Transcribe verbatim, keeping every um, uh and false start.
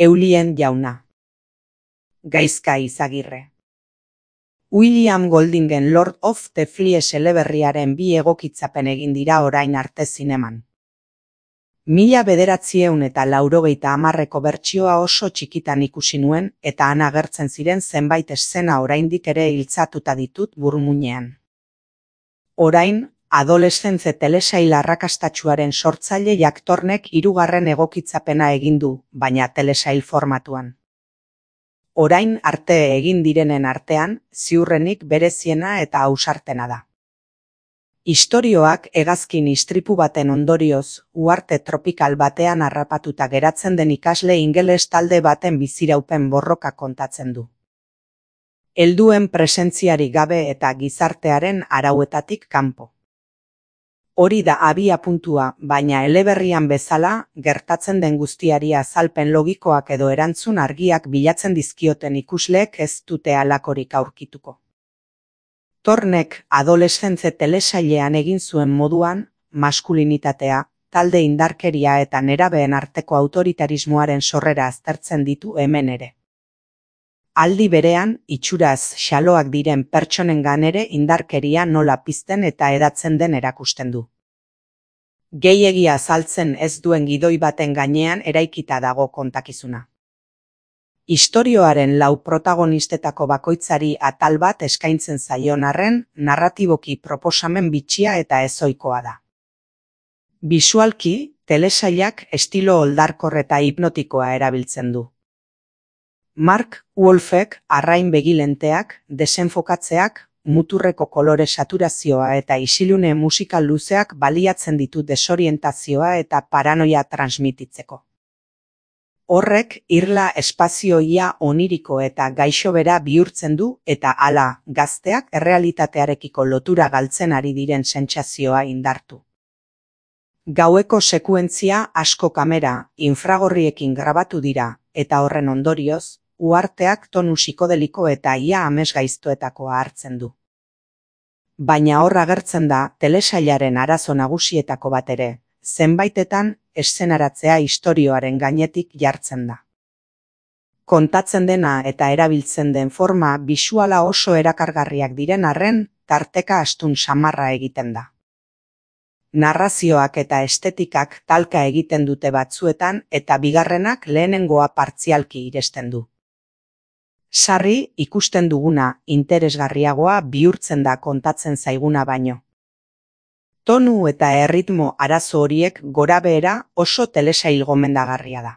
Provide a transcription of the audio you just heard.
Eulien jauna. Gaizka Izagirre. William Goldingen Lord of the Flies eleberriaren bi egokitzapen egin dira orain arte zineman. Mila bederatzieun eta laurogeita hamarreko bertsioa oso txikitan ikusi nuen eta han agertzen ziren zenbait eszena oraindik ere iltzatuta ditut burmuinean. Orain, adoleszentze telesail arrakastatsuaren sortzaile Jack Thornek hirugarren egokitzapena egin du, baina telesail formatuan. Orain arte egin direnen artean, ziurrenik bereziena eta ausartena da. Istorioak hegazkin istripu baten ondorioz, uharte tropikal batean harrapatuta geratzen den ikasle ingeles talde baten biziraupen borroka kontatzen du. Helduen presentziari gabe eta gizartearen arauetatik kanpo. Hori da abia puntua, baina eleberrian bezala, gertatzen den guztiari azalpen logikoak edo erantzun argiak bilatzen dizkioten ikusleek ez dute halakorik aurkituko. Thornek adoleszentze telesailean egin zuen moduan, maskulinitatea, talde indarkeria eta nerabeen arteko autoritarismoaren sorrera aztertzen ditu hemen ere. Aldi berean, itxuraz xaloak diren pertsonengan ere indarkeria nola pizten eta hedatzen den erakusten du. Gehiegi azaltzen ez duen gidoi baten gainean eraikita dago kontakizuna. Istorioaren lau protagonistetako bakoitzari atal bat eskaintzen zaion arren, narratiboki proposamen bitxia eta ezoikoa da. Bisualki, telesailak estilo oldarkor eta hipnotikoa erabiltzen du. Mark Wolfek arrain begilenteak, desenfokatzeak, muturreko kolore saturazioa eta isilune musikal luzeak baliatzen ditu desorientazioa eta paranoia transmititzeko. Horrek irla espazioia oniriko eta gaixobera bihurtzen du eta hala, gazteak errealitatearekiko lotura galtzen ari diren sentsazioa indartu. Gaueko sekuentzia asko kamera, infragorriekin grabatu dira, eta horren ondorioz, uharteak tonu psikodeliko eta ia amesgaiztoetakoa hartzen du. Baina hor agertzen da telesailaren arazo nagusietako bat ere, zenbaitetan eszenaratzea istorioaren gainetik jartzen da. Kontatzen dena eta erabiltzen den forma bisuala oso erakargarriak diren arren, tarteka astun samarra egiten da. Narrazioak eta estetikak talka egiten dute batzuetan eta bigarrenak lehenengoa partzialki iresten du. Sarri ikusten duguna interesgarriagoa bihurtzen da kontatzen zaiguna baino. Tonu eta erritmo arazo horiek gorabehera oso telesail gomendagarria da.